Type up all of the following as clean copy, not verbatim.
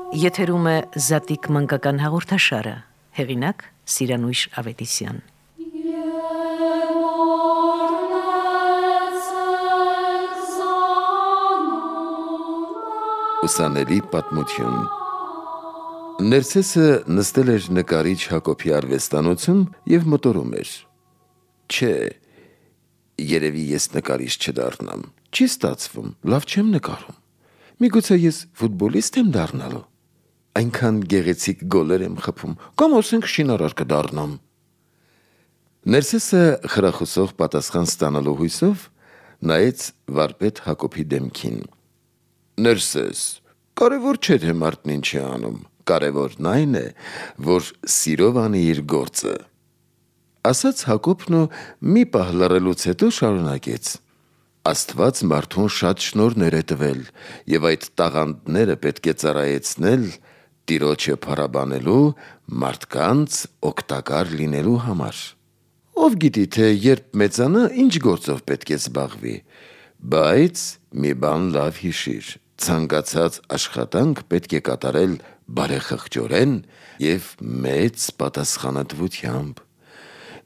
Եթերում է Զատիկ մանկական հաղորդաշարը, հեղինակ Սիրանույշ Ավետիսյան։ Ուսանելի պատմություն։ Ներսեսը նստել էր նկարիչ Հակոբի արվեստանոցում և մտորում էր. Չէ, երևի ես նկարիչ չդառնամ, չի ստացվում, լավ չեմ նկարում, միգուցե ես ֆուտբոլիստ եմ դառնալու, այնքան գեղեցիկ գոլեր եմ խփում, կամ ասենք շինարար կդառնամ։ Ներսեսը խրախուսող պատասխան ստանալու հույսով նայեց վարպետ Հակոբի դեմքին։ Ներսես, կարևոր չէ թե մարդն ինչ է անում, կարևորն այն է, որ սիրով անի իր գործը, ասաց Հակոբն ու մի պահ լռելուց հետո շարունակեց. Աստված մարդուն շատ շնորհներ է տվել, և այդ տաղանդները պետք է ծառայեցնել Տիրոջը փառաբանելու, մարդկանց օգտակար լինելու համար։ Ով գիտի, թե երբ մեծանա, ինչ գործով պետք է զբաղվի, բայց մի բան լավ հիշիր, ցանկացած աշխատանք պետք է կատարել բարեխղճորեն և մեծ պատասխանատվությամբ։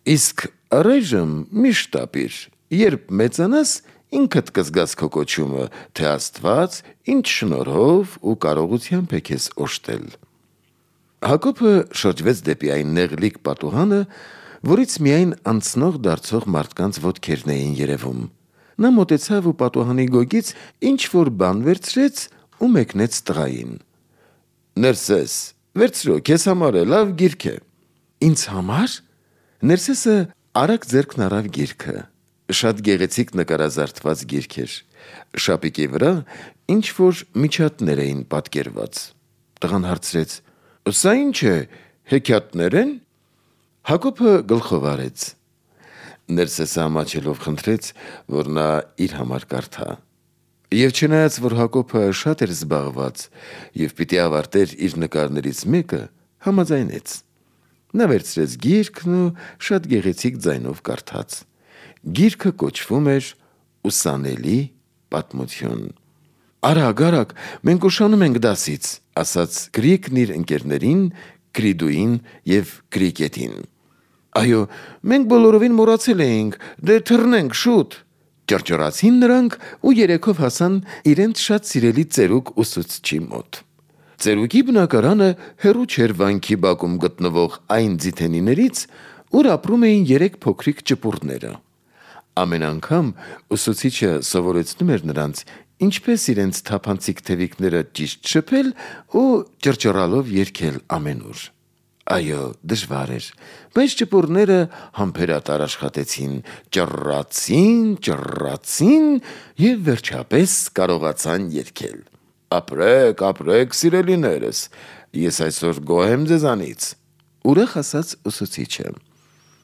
Իսկ առայժմ մի շտապիր, երբ մեծանաս, ինքդ կզգաս քո կոչումը, թե Աստված ինչ շնորհով ու կարողությամբ է քեզ օժտել։ Հակոբը շրջվեց դեպի այն նեղլիկ պատուհանը, որից միայն անցնող դարձող մարդկանց ոտքերն էին երևում։ Նա մոտեցավ ու պատուհանի գոգից ինչ-որ բան վերցրեց ու մեկնեց տղային։ Ներսես, վերցրու, քեզ համար է, լավ գիրք է։ Ինձ համար։ Ներսեսը արագ ձեռքն առավ գիրքը։ Շատ գեղեցիկ նկարազարդված գիրք էր։ Շապիկի վրա ինչ-որ միջատներ էին պատկերված։ Տղան հարցրեց. Սա ինչ է, հեքիաթնե՞ր են։ Հակոբը գլխով արեց։ Ներսեսը ամաչելով խնդրեց, որ նա իր համար կարդա։ Եվ չնայած, որ Հակոբը շատ էր զբաղված և պիտի ավարտեր իր նկարներից մեկը, համաձայնեց։ Նա վերցրեց գիրքն ու շատ գեղեցիկ ձայնով կարդաց։ Գիրքը կոչվում էր «Ուսանելի պատմություն»։ Արագ, արագ, մենք ուշանում ենք դասից, ասաց Գրիգն իր ընկերներին Կրիդուին և Կրիկետին։ Այո, մենք բոլորովին մոռացել էինք, դե թռնենք շուտ, ճռճռացին նրանք ու երեքով հասան իրենց շատ սիրելի ծերուկ ուսուցչի մոտ։ Ծերուկի բնակարանը հեռու չէր վանքի բակում գտնվող այն ձիթենիներից, ուր ապրում էին 3 փոքրիկ ճպուռները։ Ամեն անգամ ուսուցիչը սովորեցնում էր նրանց, ինչպես իրենց թափանցիկ թևիկները ճիշտ շփել ու ճռճռալով երգել ամենուր։ Այո, դժվար էր, բայց ճպուռները համբերատար աշխատեցին, ճռռացին և վերջապես կարողացան երգել։ Ապրեք, ապրեք, սիրելիներս, ես այսօր գոհ եմ ձեզանից, ուրախ ասաց ուսուցիչը։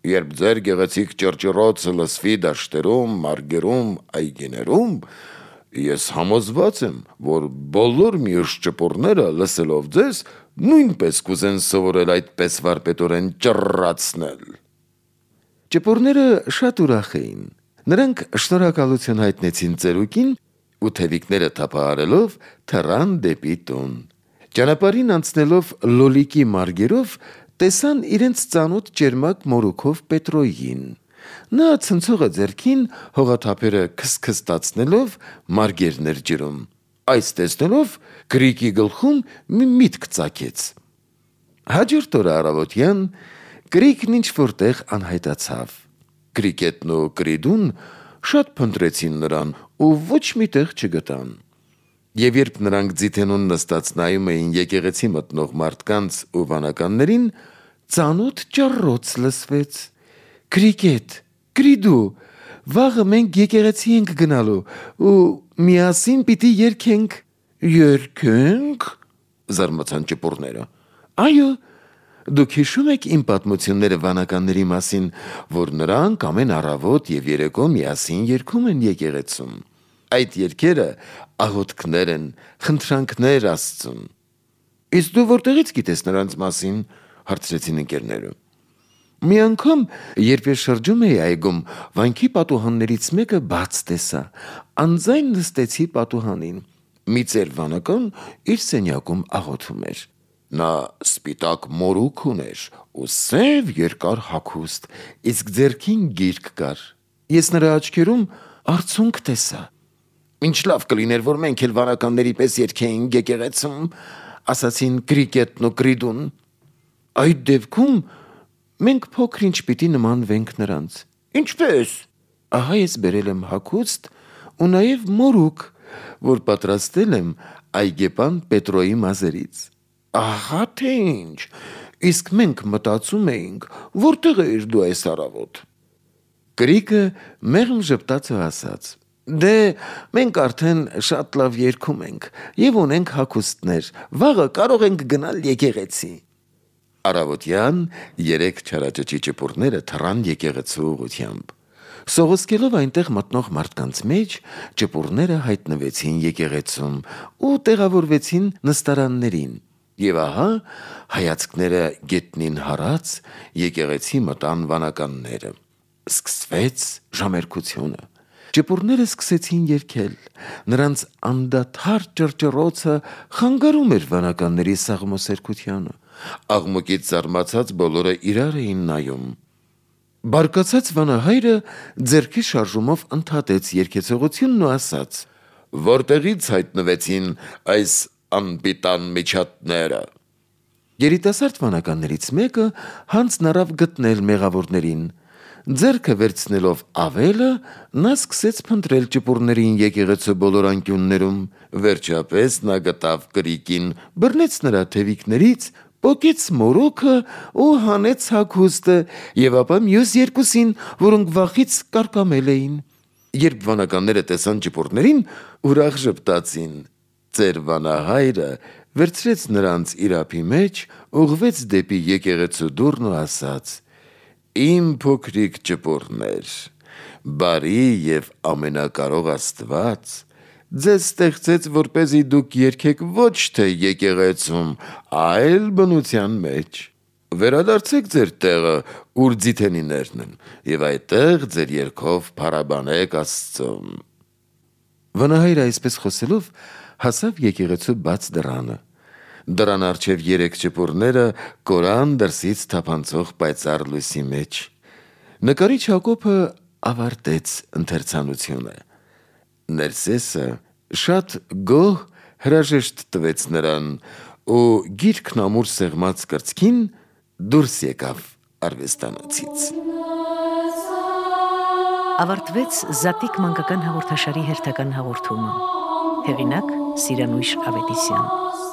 Երբ ձեր գեղեցիկ ճռճռոցը լսվի դաշտերում, մարգերում, այգիներում, ես համոզված եմ, որ բոլոր մյուս ճպուռները լսելով ձեզ, նույնպես կուզեն սովորել այդպես վարպետորեն ճռռացնել։ Ճպուռները շատ ուրախ էին։ Նրանք շնորհակալություն հայտնեցին ծերուկին ու թևիկները թափահարելով թռան դեպի տուն։ Ճանապարհին անցնելով լոլիկի մարգերով տեսան իրենց ծանոթ ճերմակ մորուքով Պետրոյին։ Նա ցնցողը ձեռքին հողաթափերը քսքստացնելով մարգերն էր ջրում։ Այս տեսնելով Գրիգի գլխում մի միտք ծագեց։ Հաջորդ օրը առավոտյան Գրիգն ինչ-որ տեղ անհայտացավ։ Կրիկետն ու Կրիդուն շատ փնտրեցին նրան ու ոչ մի տեղ չգտան։ Եվ երբ նրանք ձիթենուն նստած նայում էին եկեղեցի մտնող մարդկանց ու վանականներին, ծանոթ ճառռոց լսվեց. Կրիկետ, Կրիդու, վաղը մենք եկեղեցի ենք գնալու ու միասին պիտի երգենք։ Երգենք, զարմացան ճպուռները։ Այո, դուք հիշում եք իմ պատմությունները վանականների մասին, որ նրանք ամեն առավոտ և երեկո միասին երգում են եկեղեցում։ Այդ երգերը աղոթքներ են, խնդրանքներ Աստծուն։ Իսկ դու որտեղից գիտես նրանց մասին, հարցրեցին ընկերները։ Մի անգամ, երբ ես շրջում էի այգում, վանքի պատուհաններից մեկը բաց տեսա, անձայն նստեցի պատուհանին։ մի ծեր վանական իր սենյակում աղոթում էր։ Նա սպիտակ մորուք ուներ ու սև երկար հագուստ, իսկ ձեռքին գիրք կար։ Ես նրա աչքերում արցունք տեսա։ Ինչ լավ կլիներ, որ մենք էլ վանականների պես երգեինք եկեղեցում, ասացին Կրիկետն ու Կրիդուն։ Այդ դեպքում մենք փոքր-ինչ պիտի նմանվենք նրանց։ Ինչպես։ Ահա ես բերել եմ հագուստ ու նաև մորուք, որ պատրաստել եմ այգեպան Պետրոյի մազերից։ Ահա թե ինչ, իսկ մենք մտածում էինք, որտեղ էիր դու այս առավոտ։ Կրիկը մեղմ ժպտաց ու ասաց. Դե մենք արդեն շատ լավ երգում ենք և ունենք հագուստներ, վաղը կարող ենք գնալ եկեղեցի։ Առավոտյան 3 չարաճճի ճպուրները թռան եկեղեցու ուղղությամբ։ Սողոսկելով այնտեղ մտնող մարդկանց մեջ, ճպուրները հայտնվեցին եկեղեցում ու տեղավորվեցին նստարաններին։ Եվ ահա հայացքները գետնին հարած եկեղեցի մտան վանականները։ Սկսվեց ժամերգությունը։ Ճպուրները սկսեցին երգել։ Նրանց անդադար ճռճռոցը խանգարում էր վանականների սաղմոսերկությանը։ Աղմուկից զարմացած բոլորը իրար էին նայում։ Բարկացած վանահայրը ձեռքի շարժումով ընդհատեց երգեցողությունն ու ասաց. Որտեղից հայտնվեցին այս անպիտան միջատները։ Երիտասարդ վանականներից մեկը հանձն առավ գտնել մեղավորներին։ Ձեռքը վերցնելով ավելը, նա սկսեց փնտրել ճպուրներին եկեղեցու բոլոր անկյուններում։ Վերջապես նա գտավ Կրիկին, բռնեց նրա թևիկներից, պոկեց մորուքը ու հանեց հագուստը, եւ ապա մյուս երկուսին, որոնք վախից կարկամել էին։ Երբ վանականները տեսան ճպուրներին, ուրախ ժպտացին։ Ծեր վանահայրը վերցրեց նրանց իր ափի մեջ, ուղղվեց դեպի եկեղեցու դուռն ու ասաց. Իմ փոքրիկ ճպուրներ, բարի եւ ամենակարող Աստված ձեզ ստեղծեց, որպեսզի դուք երգեք ոչ թե եկեղեցում, այլ բնության մեջ։ Վերադարձեք ձեր տեղը, ուր ձիթենիներն են, եւ այդտեղ ձեր երգով փառաբանեք Աստծուն։ Վանահայրը այսպես խոսելով հասավ եկեղեցու բաց դռանը։ Դրան առջև 3 ճպուրները կորան դրսից թափանցող պայծառ լույսի մեջ։ Նկարիչ Հակոբը ավարտեց ընթերցանությունը։ Ներսեսը շատ գոհ հրաժեշտ տվեց նրան ու գիրքն ամուր սեղմած կրծքին դուրս եկավ արվեստանոցից։ Ավարտվեց Զատիկ մանկական հաղորդաշարի հերթական հաղորդումը։ Հեղինակ՝ Սիրանույշ Ավետիսյան։